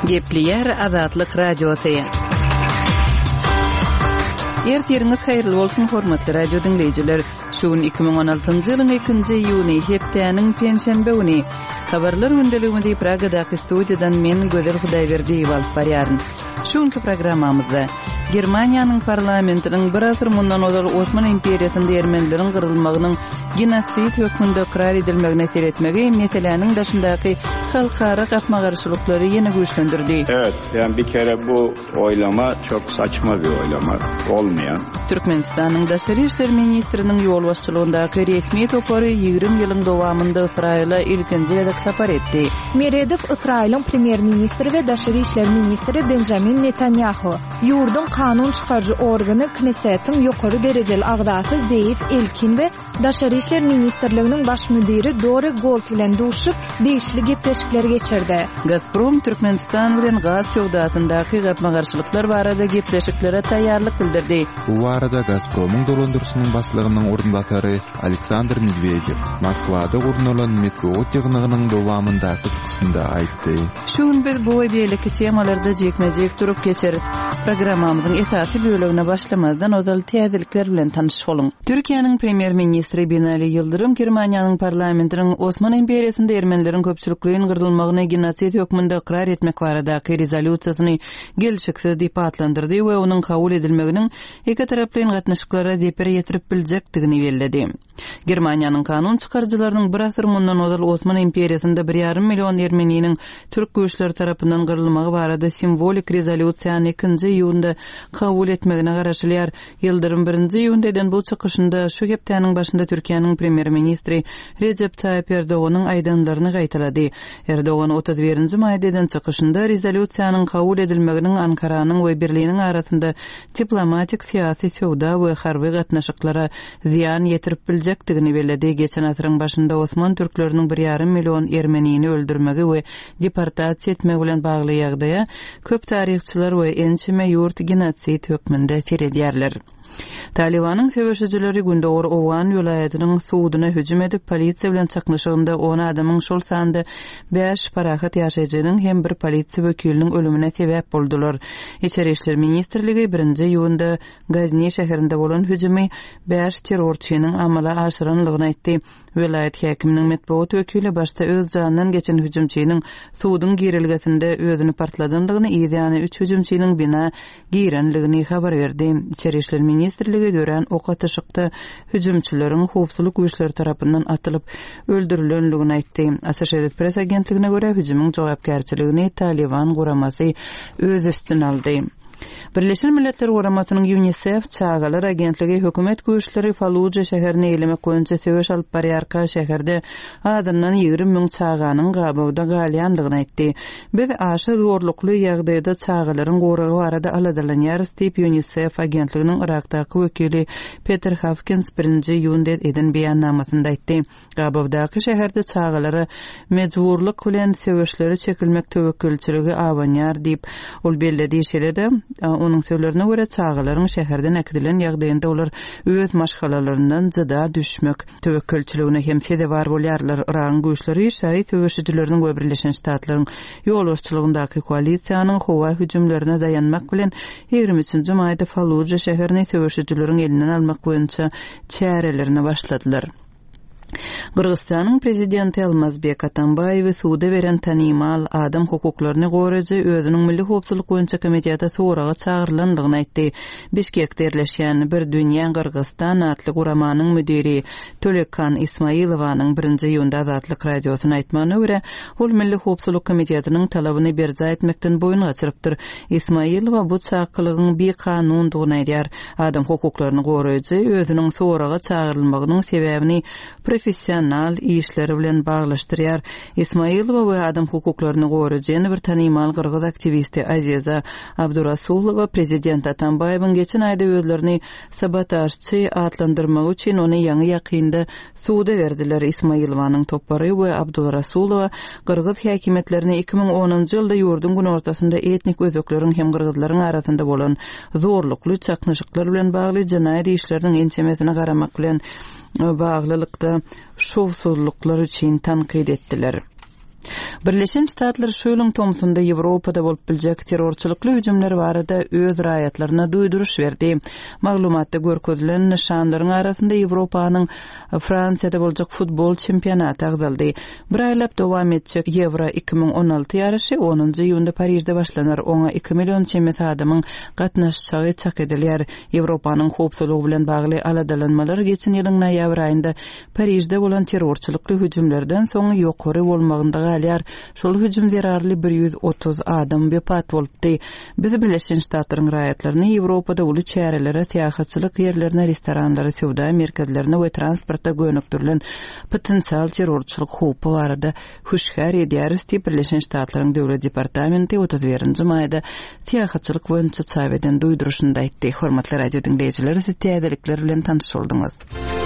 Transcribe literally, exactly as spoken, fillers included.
Gepleýär Azatlyk Radiosy. Ertiriňiz haýyrly bolsun, hormatly radio diňleýjiler. Şu gün iki müň on altynjy ýylyň ikinji iýuny, hepdäniň penşenbe güni. Habarlar gündeligimizi Pragadaky studiýadan men Gözel Hudaýberdiýewa alyp barýaryn. Şu günki programmamyzda Germaniýanyň parlamentiniň bir asyr mundan ozal Osman imperiýasynda ermenileriň gyrylmagynyň genosid hökmünde ykrar edilmegine seretmegi meseläniň daşyndaky halkara gapma-garşylyklary ýene güýçlendirdi. Evet, yani bir kere bu oylama çok saçma bir oylama, olmayan. Türkmenistanyň Daşary işler ministriniň ýolbaşçylygyndaky resmi topary ýigrimi ýylyň dowamynda Ysraýyla ilkinji gezek sapar etdi. Meredow Ysraýylyň premýer-ministri we Daşary işler ministri Benjamin Netanyahu, ýurduň kanun çykaryjy organy Knessetiň ýokary derejeli agzasy Zeýef Elkin we Daşary işler ministrliginiň baş müdiri Dore Gold bilen duşup, degişli gepleşikler geçirdi. Gazprom Türkmenistan bilen gaz söwdasyndaky gapma-garşylyklar barada gepleşiklere taýýarlyk bildirdi. Bu barada Gazpromyň dolandyryşynyň başlygynyň orunbasary Aleksandr Medwedew Moskwada gurnalan metbugat ýygnagynyň dowamyndaky çykyşynda aýtdy. Şu gün biz bu we beýleki temalarda jikme-jik durup geçeris. Programmamyzyň esasy bölegine başlamazdan ozal täzelikler bilen tanyş boluň. Türkiýäniň premýer-ministri Binali Ýyldyrym Germaniýanyň parlamentiniň Osman imperiýasynda ermenileriň köpçülikleýin gyrylmagyny genosid hökmünde ykrar etmek baradaky rezolýusiýasyny gelşiksiz diýip atlandyrdy we onuň kabul edilmeginiň iki taraplaýyn gatnaşyklara zeper ýetirip biljekdigini belledi. Germaniýanyň kanun çykaryjylarynyň bir asyr mundan ozal Osman imperiýasynda bir ýarym million ermeniniň türk güýçleri tarapyndan gyrylmagy barada simwolik rezolýusiýany ikinji iýunda kabul etmegine garaşylýar. Ýyldyrym birinji iýunda eden bu çykyşynda şu hepdäniň başynda Türkiýäniň premýer-ministri Recep Tayyip Erdoganyň aýdanlaryny gaýtalady. Erdogan otuz birinji maýda eden çykyşynda rezolýusiýanyň kabul edilmeginiň Ankaranyň we Berliniň arasynda diplomatik, syýasy, söwda we harby gatnaşyklara zyýan ýetirip biljekdigini belledi. Geçen asyryň başynda Osman türkleriniň bir ýarym million ermenini öldürmegi we deportasiýa etmegi bilen bagly ýagdaýa köp taryhçylar we ençeme ýurt genosid hökmünde seredýärler. Talibanyň söweşijileri Gündogar Owgan welaýatynyň suduna hüjüm edip, polisiýa bilen çaknyşygynda on adamyň, şol sanda bäş parahat ýaşaýjynyň hem bir polisiýa wekiliniň ölümine sebäp boldular. Içeri işler ministrligi birinji iýunda Gazni şäherinde bolan hüjümi bäş terrorçynyň amala aşyranlygyny aýtdy. Welaýat häkiminiň metbugat wekili başda öz janyndan geçen hüjümçiniň suduň girilgesinde özüni partladandygyny, ýany üç hüjümçiniň bina girenligini habar berdi. Içeri işler ministrligi dörän ok atyşykda hüjümçileriň howpsuzlyk güýçleri tarapyndan atylyp öldürilenligini aýtdy. Associated Press agentligine görä hüjümiň jogapkärçiligini Taliban guramasy öz üstüne aldy. Birleşen Milletler Guramasynyň UNICEF çagalar agentligi hökümet güýçleri Falluja şäherini eýlemek boýunça söweş alyp barýarka şäherde adyndan ýigrimi müň çaganyň gabawda galýandygyny aýtdy. Biz aşa zorlukly ýagdaýda çagalaryň goragy barada aladalanýarys diýip UNICEF agentliginiň Irakdaky wekili Peter Hawkins birinji iýunda eden beýannamasynda aýtdy. Gabawdaky şäherde çagalara mejburlyk bilen söweşlere çekilmek töwekgelçiligi abanýar diýip ol belledi. Şeýle-de, onuň sözlerine görä çagalaryň şäherden äkidilen ýagdaýynda olar öz maşgalalaryndan jyda düşmek töwekgelçiligine hem sezewar bolýarlar. Iragyň güýçleri şaýy söweşijileriniň we Birleşen Ştatlaryň ýolbaşçylygyndaky koalisiýanyň howa hüjümlerine daýanmak bilen ýigrimi üçünji maýda Falluja şäherini söweşijileriň elinden almak boýunça çärelerine başladylar. Gyrgyzystanyň prezidenti Almazbek Atambaýewi suda beren tanymal adam hukuklaryny goraýjy özüniň Milli howpsuzlyk boýunça komiteti soraga çagyrylandygyny aýtdy. Bişkekde ýerleşýän Bir Dünýä Gyrgyzystan atly guramanyň müdiri Tölekan Ismailowanyň birinji iýunda Azatlyk radiosyna aýtmagyna görä, ol Milli howpsuzlyk komitetiniň talabyny berjaý etmekden boýun gaçyrypdyr. Ismailowa bu çakylygyň bikanundygyny aýdýar. Adam hukuklaryny goraýjy özüniň soraga çagyrylmagynyň sebäbini professional işleri bilen baglaşdyrýar. Ismailowa we adam hukuklaryny goraýjy ýene bir tanymal gyrgyz aktiwisti Aziza Abdurasulowa prezident Atambaýewiň geçen aýda özlerini sabotažçy atlandyrmagy üçin ony ýaňy ýakynda suda berdiler. Ismailowanyň topary we Abdurasulowa gyrgyz häkimiýetlerini iki müň onunjy ýylda ýurduň günortasynda etnik özbekleriň hem gyrgyzlaryň arasynda bolan zorlukly çaknyşyklar bilen bagly jenaýat işleriniň ençemesine garamak bilen baglylykda şowsuzlyklar üçin tankyt etdiler. Birleşen Ştatlar şu ýylyň tomsunda Ýewropada bolup biljek terrorçylykly hüjümler barada öz raýatlaryna duýduryş berdi. Maglumatda görkezilen nyşanlaryň arasynda Ýewropanyň Fransiýada boljak futbol çempionaty agzaldy. Bir aýlap dowam etjek Ýewro iki müň on alty ýaryşy onunjy iýunda Parižde başlanar. Oňa iki million çemesi adamyň gatnaşjagy çak edilýär. Ýewropanyň howpsuzlygy bilen bagly aladalanmalar geçen ýylyň noýabr aýynda Parižde bolan terrorçylykly hüjümlerden soň ýokary bolmagynda galýar. Şol hüjüm zerarly bir ýüz otuz adam wepat bolupdy. Biz Birleşen Ştatlaryň raýatlaryny Ýewropada uly çärelere, syýahatçylyk ýerlerine, restoranlara, söwda merkezlerine we transporta gönükdirilen potensial terrorçylyk howpy barada hüşgär edýäris diýip Birleşen Ştatlaryň Döwlet Departamenti otuz birinji maýda syýahatçylyk boýunça çap eden duýduryşynda aýtdy. Hormatly radio diňleýjiler, siz täzelikler bilen tanyş bolduňyz.